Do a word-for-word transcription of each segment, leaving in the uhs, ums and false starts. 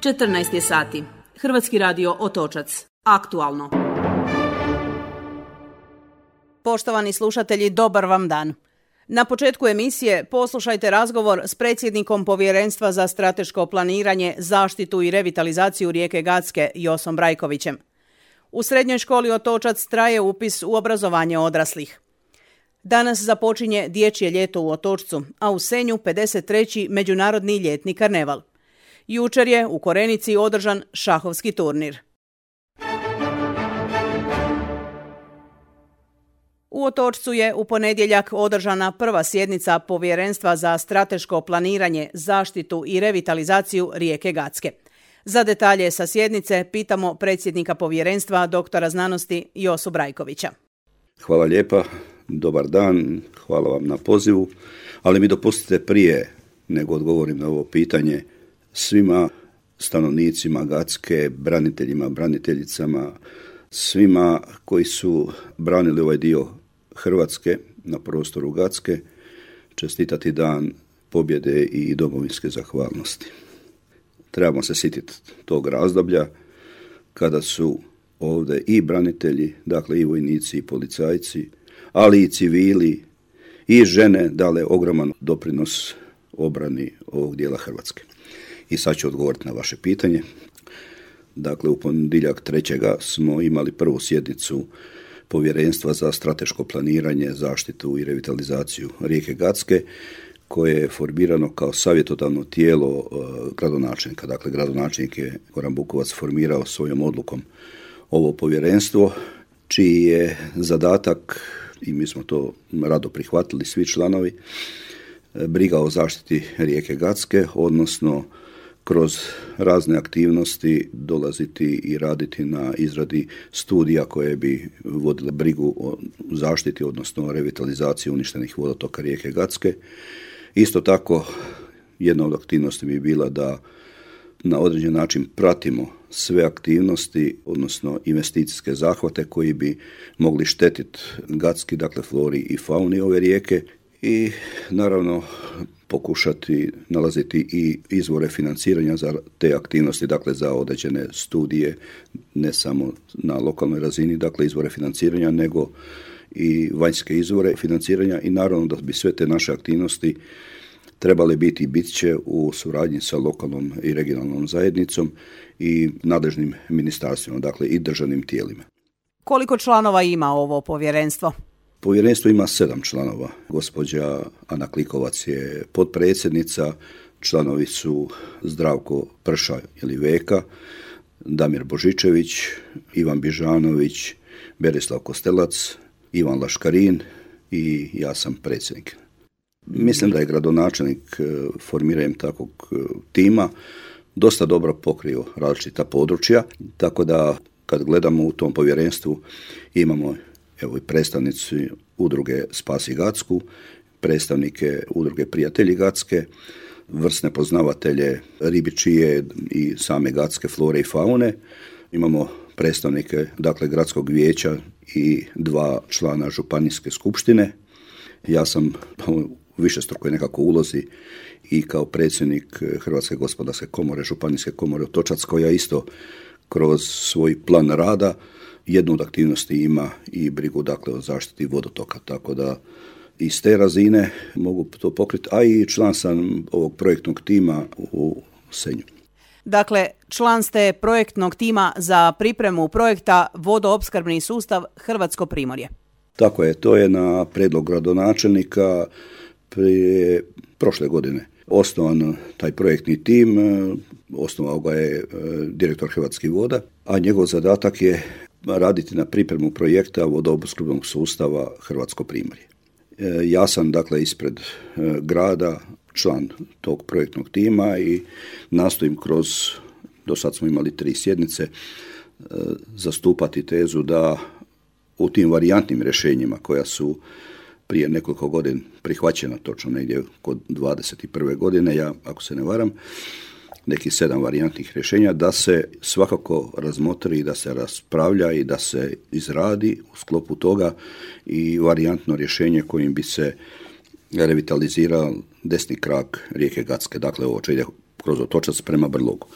četrnaest je sati. Hrvatski radio Otočac. Aktualno. Poštovani slušatelji, dobar vam dan. Na početku emisije poslušajte razgovor s predsjednikom Povjerenstva za strateško planiranje, zaštitu i revitalizaciju rijeke Gacke Josom Brajkovićem. U srednjoj školi Otočac traje upis u obrazovanje odraslih. Danas započinje dječje ljeto u Otočcu, a u Senju pedeset treći Međunarodni ljetni karneval. Jučer je u Korenici održan šahovski turnir. U Otočcu je u ponedjeljak održana prva sjednica Povjerenstva za strateško planiranje, zaštitu i revitalizaciju rijeke Gacke. Za detalje sa sjednice pitamo predsjednika povjerenstva, doktora znanosti Josu Brajkovića. Hvala lijepa, dobar dan, hvala vam na pozivu, ali mi dopustite prije nego odgovorim na ovo pitanje svima stanovnicima Gacke, braniteljima, braniteljicama, svima koji su branili ovaj dio Hrvatske na prostoru Gacke, čestitati dan pobjede i domovinske zahvalnosti. Trebamo se sjetiti tog razdoblja kada su ovdje i branitelji, dakle i vojnici i policajci, ali i civili i žene dale ogroman doprinos obrani ovog dijela Hrvatske. I sad ću odgovoriti na vaše pitanje. Dakle, u ponedjeljak trećega smo imali prvu sjednicu Povjerenstva za strateško planiranje, zaštitu i revitalizaciju rijeke Gacke, koje je formirano kao savjetodavno tijelo uh, gradonačelnika. Dakle, gradonačelnik je Goran Bukovac formirao svojom odlukom ovo povjerenstvo, čiji je zadatak, i mi smo to rado prihvatili svi članovi, briga o zaštiti rijeke Gacke, odnosno kroz razne aktivnosti dolaziti i raditi na izradi studija koje bi vodile brigu o zaštiti, odnosno revitalizaciji uništenih vodotoka rijeke Gacke. Isto tako, jedna od aktivnosti bi bila da na određen način pratimo sve aktivnosti, odnosno investicijske zahvate koji bi mogli štetiti Gacki, dakle flori i fauni ove rijeke, i naravno pokušati nalaziti i izvore financiranja za te aktivnosti, dakle za određene studije, ne samo na lokalnoj razini, dakle izvore financiranja, nego i vanjske izvore financiranja, i naravno da bi sve te naše aktivnosti trebale biti i bit će u suradnji sa lokalnom i regionalnom zajednicom i nadležnim ministarstvima, dakle i državnim tijelima. Koliko članova ima ovo povjerenstvo? Povjerenstvo ima sedam članova. Gospođa Ana Klikovac je potpredsjednica, članovi su Zdravko Prša ili Veka, Damir Božičević, Ivan Bižanović, Berislav Kostelac, Ivan Laškarin i ja sam predsjednik. Mislim da je gradonačelnik formiranjem takvog tima dosta dobro pokrio različita područja, tako da kad gledamo u tom povjerenstvu imamo evo i predstavnici udruge Spasi Gacku, predstavnike udruge Prijatelji Gacke, vrsne poznavatelje ribičije i same Gacke flore i faune. Imamo predstavnike, dakle, gradskog vijeća i dva člana županijske skupštine. Ja sam u višestrukoj nekako ulozi i kao predsjednik Hrvatske gospodarske komore, županijske komore Otočac, koja isto kroz svoj plan rada jednu od aktivnosti ima i brigu, dakle, o zaštiti vodotoka, tako da iz te razine mogu to pokriti, a i član sam ovog projektnog tima u Senju. Dakle, član ste projektnog tima za pripremu projekta vodoopskrbni sustav Hrvatsko Primorje. Tako je, to je na prijedlog gradonačelnika prije prošle godine osnovan taj projektni tim, osnovao ga je direktor Hrvatskih voda, a njegov zadatak je raditi na pripremu projekta vodoopskrbnog sustava Hrvatsko Primorje. Ja sam, dakle, ispred grada član tog projektnog tima i nastojim kroz, do sad smo imali tri sjednice, zastupati tezu da u tim varijantnim rješenjima koja su prije nekoliko godina prihvaćena, točno negdje kod dvadeset prve godine, ja ako se ne varam, nekih sedam varijantnih rješenja, da se svakako razmotri, da se raspravlja i da se izradi u sklopu toga i varijantno rješenje kojim bi se revitalizirao desni krak rijeke Gacke, dakle ovo će ide kroz Otočac prema Brlogu.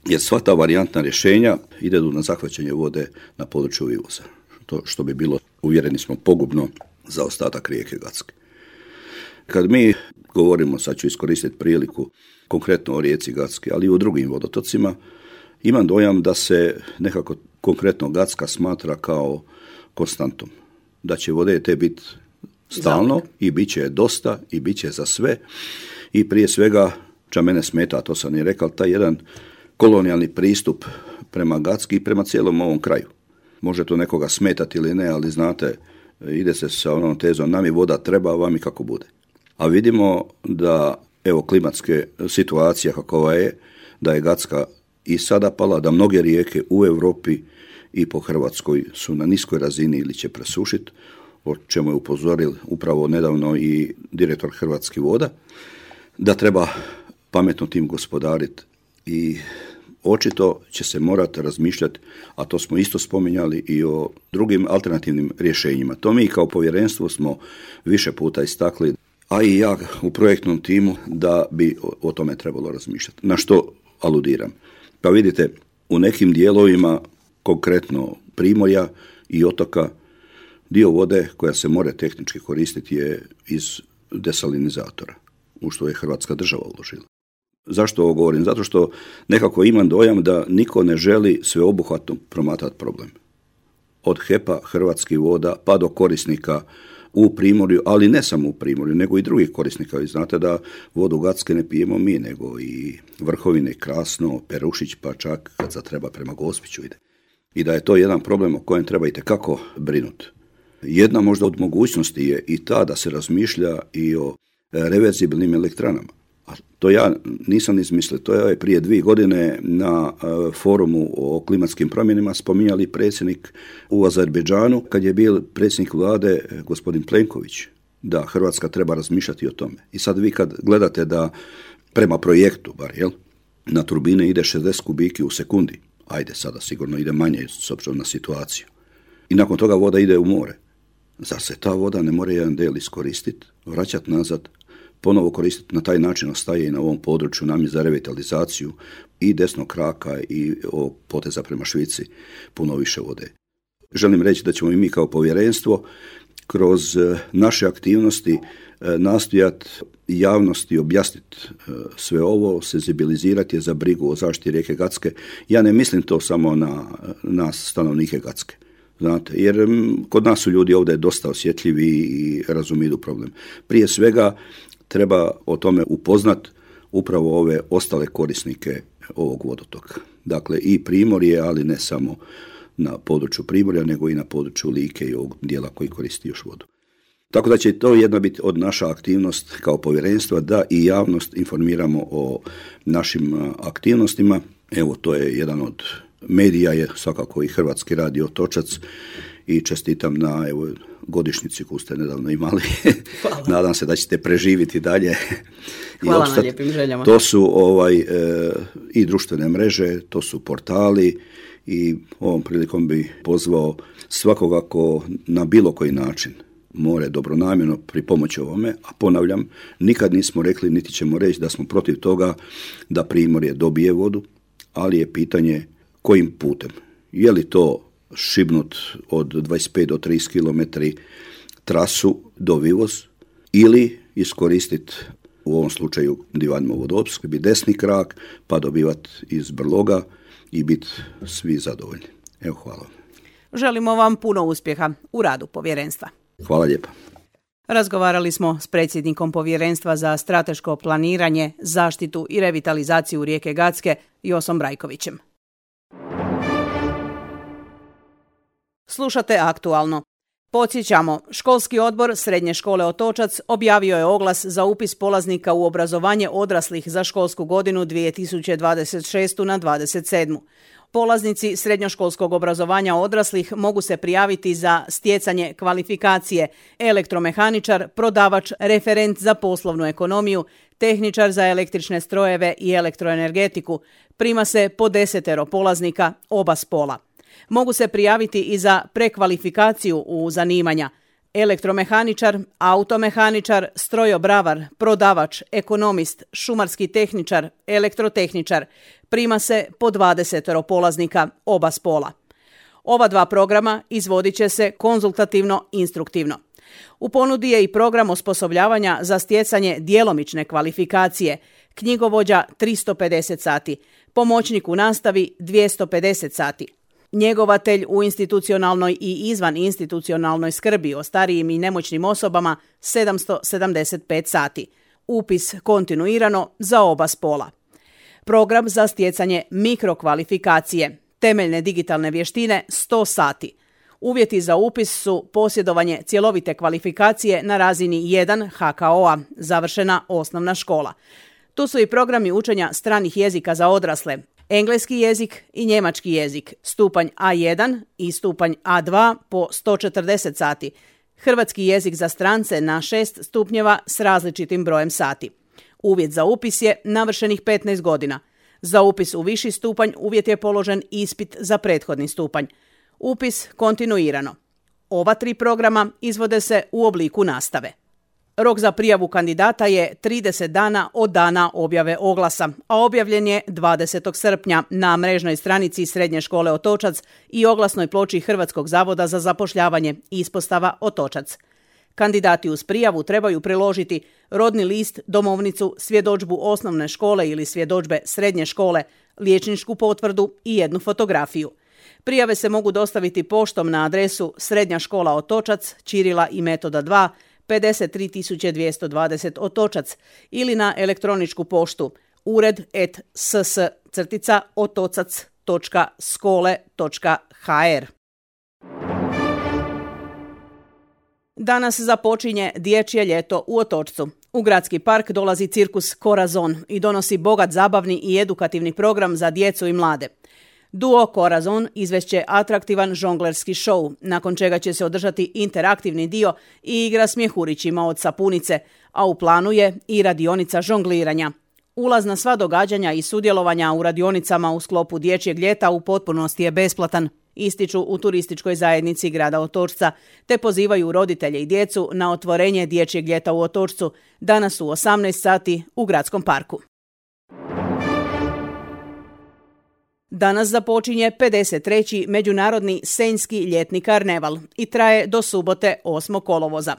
jer sva ta varijantna rješenja idu na zahvaćanje vode na području Vivoza, to što bi bilo, uvjereni smo, pogubno za ostatak rijeke Gacke. Kad mi govorimo, sad ću iskoristiti priliku, konkretno o rijeci Gacki, ali i o drugim vodotocima, imam dojam da se nekako konkretno Gacka smatra kao konstantom. Da će vode te biti stalno i bit će dosta i bit će za sve. I prije svega, ča mene smeta, to sam i rekao, taj jedan kolonijalni pristup prema Gacki i prema cijelom ovom kraju. Može to nekoga smetati ili ne, ali znate, ide se sa onom tezom, nam je voda treba, vam i kako bude. A vidimo da, evo, klimatske situacija kakova je, da je Gacka i sada pala, da mnoge rijeke u Europi i po Hrvatskoj su na niskoj razini ili će presušiti, o čemu je upozoril upravo nedavno i direktor Hrvatskih voda, da treba pametno tim gospodariti i očito će se morati razmišljati, a to smo isto spominjali, i o drugim alternativnim rješenjima. To mi kao povjerenstvo smo više puta istakli, a i ja u projektnom timu, da bi o, o tome trebalo razmišljati. Na što aludiram? Pa vidite, u nekim dijelovima, konkretno Primorja i otoka, dio vode koja se more tehnički koristiti je iz desalinizatora, u što je Hrvatska država uložila. Zašto ovo govorim? Zato što nekako imam dojam da niko ne želi sveobuhvatno promatrati problem. Od H E P-a, Hrvatskih voda, pa do korisnika u Primorju, ali ne samo u Primorju, nego i drugih korisnika. Vi znate da vodu Gacke ne pijemo mi, nego i Vrhovine, Krasno, Perušić, pa čak kad zatreba prema Gospiću ide. I da je to jedan problem o kojem treba itekako brinuti. Jedna možda od mogućnosti je i ta da se razmišlja i o reverzibilnim elektranama. A to ja nisam izmislio, to je prije dvije godine na forumu o klimatskim promjenama spominjali predsjednik u Azerbejdžanu, kad je bio predsjednik vlade gospodin Plenković, da Hrvatska treba razmišljati o tome. I sad vi kad gledate da prema projektu, bar, jel, na turbine ide šezdeset kubiki u sekundi, ajde sada sigurno ide manje s obzirom na situaciju, i nakon toga voda ide u more. Zar se ta voda ne mora jedan del iskoristiti, vraćati nazad, ponovo koristiti, na taj način ostaje i na ovom području nam je za revitalizaciju i desnog kraka i ovog poteza prema Švici puno više vode. Želim reći da ćemo i mi kao povjerenstvo kroz naše aktivnosti nastojati javnosti objasniti sve ovo, senzibilizirati je za brigu o zaštiti rijeke Gacke. Ja ne mislim to samo na nas, stanovnike Gacke. Znate, jer kod nas su ljudi ovdje dosta osjetljivi i razumiju problem. Prije svega treba o tome upoznat upravo ove ostale korisnike ovog vodotoka. Dakle, i Primorje, ali ne samo na području Primorja, nego i na području Like i ovog dijela koji koristi još vodu. Tako da će to jedna biti od naša aktivnost kao povjerenstva, da i javnost informiramo o našim aktivnostima. Evo, to je jedan od medija, je svakako i Hrvatski radio Otočac, i čestitam na, evo, godišnjici koju ste nedavno imali. Nadam se da ćete preživiti dalje. Hvala na lijepim željama. To su ovaj, e, i društvene mreže, to su portali, i ovom prilikom bi pozvao svakoga ko na bilo koji način more dobronamjerno pripomoći ovome, a ponavljam, nikad nismo rekli niti ćemo reći da smo protiv toga da Primorje dobije vodu, ali je pitanje kojim putem. Je li to šibnut od dvadeset pet do trideset kilometara trasu do Vivoz, ili iskoristiti u ovom slučaju divanjimo vodoopskrbi desni krak, pa dobivati iz Brloga i biti svi zadovoljni. Evo, hvala. Želimo vam puno uspjeha u radu povjerenstva. Hvala lijepa. Razgovarali smo s predsjednikom Povjerenstva za strateško planiranje, zaštitu i revitalizaciju rijeke Gacke, Josom Brajkovićem. Slušate Aktualno. Podsjećamo, školski odbor Srednje škole Otočac objavio je oglas za upis polaznika u obrazovanje odraslih za školsku godinu dvije tisuće dvadeset šeste na dvadeset sedmu. Polaznici srednjoškolskog obrazovanja odraslih mogu se prijaviti za stjecanje kvalifikacije elektromehaničar, prodavač, referent za poslovnu ekonomiju, tehničar za električne strojeve i elektroenergetiku. Prima se po desetero polaznika oba spola. Mogu se prijaviti i za prekvalifikaciju u zanimanja elektromehaničar, automehaničar, strojobravar, prodavač, ekonomist, šumarski tehničar, elektrotehničar. Prima se po dvadeset polaznika oba spola. Ova dva programa izvodit će se konzultativno-instruktivno. U ponudi je i program osposobljavanja za stjecanje djelomične kvalifikacije, knjigovođa tristo pedeset sati, pomoćnik u nastavi dvjesto pedeset sati, njegovatelj u institucionalnoj i izvan institucionalnoj skrbi o starijim i nemoćnim osobama sedamsto sedamdeset pet sati, upis kontinuirano za oba spola. Program za stjecanje mikrokvalifikacije, temeljne digitalne vještine sto sati. Uvjeti za upis su posjedovanje cjelovite kvalifikacije na razini jedan ha ka o a, završena osnovna škola. Tu su i programi učenja stranih jezika za odrasle, engleski jezik i njemački jezik, stupanj a jedan i stupanj a dva po sto četrdeset sati, hrvatski jezik za strance na šest stupnjeva s različitim brojem sati. Uvjet za upis je navršenih petnaest godina. Za upis u viši stupanj uvjet je položen ispit za prethodni stupanj. Upis kontinuirano. Ova tri programa izvode se u obliku nastave. Rok za prijavu kandidata je trideset dana od dana objave oglasa, a objavljen je dvadesetog srpnja na mrežnoj stranici Srednje škole Otočac i oglasnoj ploči Hrvatskog zavoda za zapošljavanje ispostava Otočac. Kandidati uz prijavu trebaju priložiti rodni list, domovnicu, svjedodžbu osnovne škole ili svjedodžbe srednje škole, liječničku potvrdu i jednu fotografiju. Prijave se mogu dostaviti poštom na adresu Srednja škola Otočac, Ćirila i Metoda dva, pedeset tri tisuće dvjesto dvadeset Otočac ili na elektroničku poštu ured et ss crtica otocac točka skole točka ha er. Danas započinje dječje ljeto u Otočcu. U gradski park dolazi cirkus Corazon i donosi bogat zabavni i edukativni program za djecu i mlade. Duo Corazon izvešće atraktivan žonglerski show, nakon čega će se održati interaktivni dio i igra s mjehurićima od sapunice, a u planu je i radionica žongliranja. Ulaz na sva događanja i sudjelovanja u radionicama u sklopu dječjeg ljeta u potpunosti je besplatan, ističu u turističkoj zajednici grada Otočca, te pozivaju roditelje i djecu na otvorenje dječjeg ljeta u Otočcu danas u osamnaest sati u gradskom parku. Danas započinje pedeset treći Međunarodni senjski ljetni karneval i traje do subote osmog kolovoza.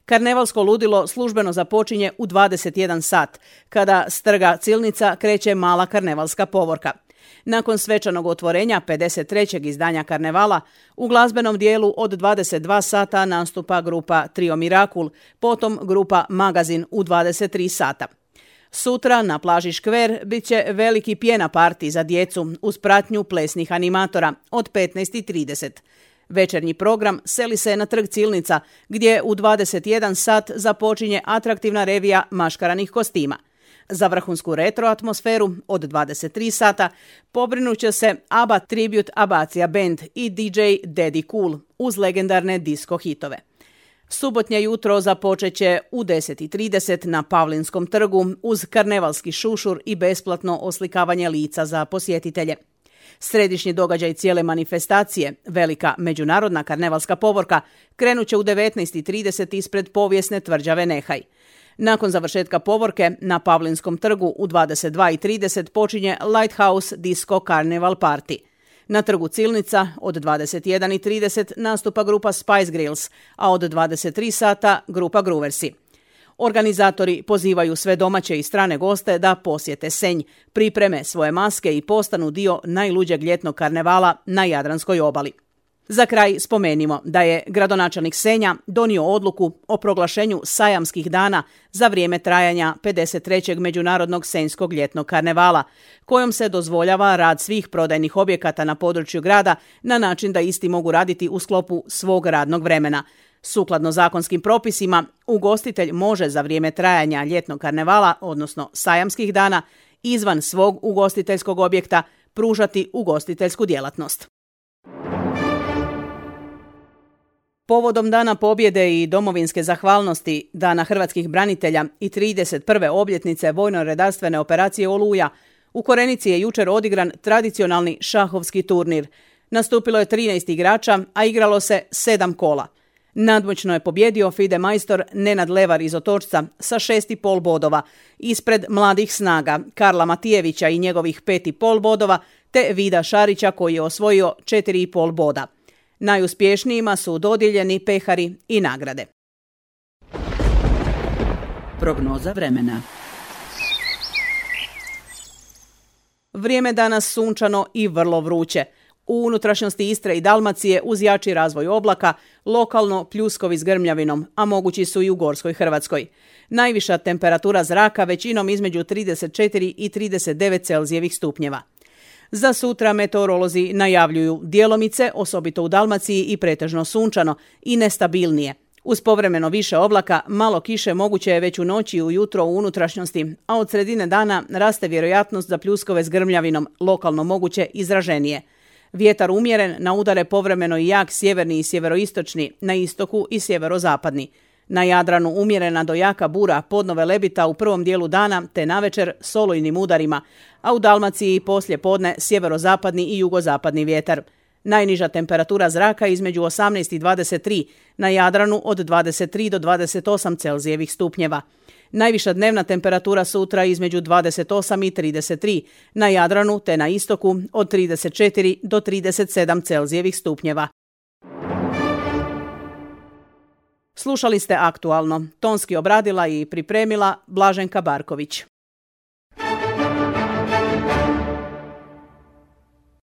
Karnevalsko ludilo službeno započinje u dvadeset jedan sat, kada s trga Cilnica kreće mala karnevalska povorka. Nakon svečanog otvorenja pedeset trećeg izdanja karnevala, u glazbenom dijelu od dvadeset dva sata nastupa grupa Trio Mirakul, potom grupa Magazin u dvadeset tri sata. Sutra na plaži Škver bit će veliki pjena parti za djecu uz pratnju plesnih animatora od petnaest i trideset. Večernji program seli se na trg Cilnica, gdje u dvadeset jedan sat započinje atraktivna revija maškaranih kostima. Za vrhunsku retro atmosferu od dvadeset tri sata pobrinut će se ABBA Tribute Abacija Band i di džej Daddy Cool uz legendarne disco hitove. Subotnje jutro započet će u deset i trideset na Pavlinskom trgu uz karnevalski šušur i besplatno oslikavanje lica za posjetitelje. Središnji događaj cijele manifestacije, velika međunarodna karnevalska povorka, krenut će u devetnaest i trideset ispred povijesne tvrđave Nehaj. Nakon završetka povorke na Pavlinskom trgu u dvadeset dva i trideset počinje Lighthouse Disco Carnival Party. Na trgu Cilnica od dvadeset jedan i trideset nastupa grupa Spice Girls, a od dvadeset tri sata grupa Grooversi. Organizatori pozivaju sve domaće i strane goste da posjete Senj, pripreme svoje maske i postanu dio najluđeg ljetnog karnevala na Jadranskoj obali. Za kraj spomenimo da je gradonačelnik Senja donio odluku o proglašenju sajamskih dana za vrijeme trajanja pedeset trećeg Međunarodnog senjskog ljetnog karnevala, kojom se dozvoljava rad svih prodajnih objekata na području grada na način da isti mogu raditi u sklopu svog radnog vremena. Sukladno zakonskim propisima, ugostitelj može za vrijeme trajanja ljetnog karnevala, odnosno sajamskih dana, izvan svog ugostiteljskog objekta pružati ugostiteljsku djelatnost. Povodom Dana pobjede i domovinske zahvalnosti, Dana hrvatskih branitelja i trideset prve obljetnice vojno-redarstvene operacije Oluja, u Korenici je jučer odigran tradicionalni šahovski turnir. Nastupilo je trinaest igrača, a igralo se sedam kola. Nadmoćno je pobjedio FIDE majstor Nenad Levar iz Otočca sa šest i pol bodova, ispred mladih snaga Karla Matijevića i njegovih pet i pol bodova, te Vida Šarića koji je osvojio četiri i pol boda. Najuspješnijima su dodijeljeni pehari i nagrade. Prognoza vremena. Vrijeme danas sunčano i vrlo vruće. U unutrašnjosti Istre i Dalmacije uz jači razvoj oblaka, lokalno pljuskovi s grmljavinom, a mogući su i u Gorskoj Hrvatskoj. Najviša temperatura zraka većinom između trideset četiri i trideset devet Celzijevih stupnjeva. Za sutra meteorolozi najavljuju djelomice, osobito u Dalmaciji i pretežno sunčano i nestabilnije. Uz povremeno više oblaka, malo kiše moguće je već u noći i ujutro u unutrašnjosti, a od sredine dana raste vjerojatnost za pljuskove s grmljavinom, lokalno moguće izraženije. Vjetar umjeren, na udare povremeno i jak sjeverni i sjeveroistočni, na istoku i sjeverozapadni. Na Jadranu umjerena do jaka bura, podnove lebita u prvom dijelu dana te navečer s olujnim udarima, a u Dalmaciji poslije podne sjeverozapadni i jugozapadni vjetar. Najniža temperatura zraka između osamnaest i dvadeset tri, na Jadranu od dvadeset tri do dvadeset osam Celzijevih stupnjeva. Najviša dnevna temperatura sutra između dvadeset osam i trideset tri, na Jadranu te na istoku od trideset četiri do trideset sedam Celzijevih stupnjeva. Slušali ste Aktualno. Tonski obradila i pripremila Blaženka Barković.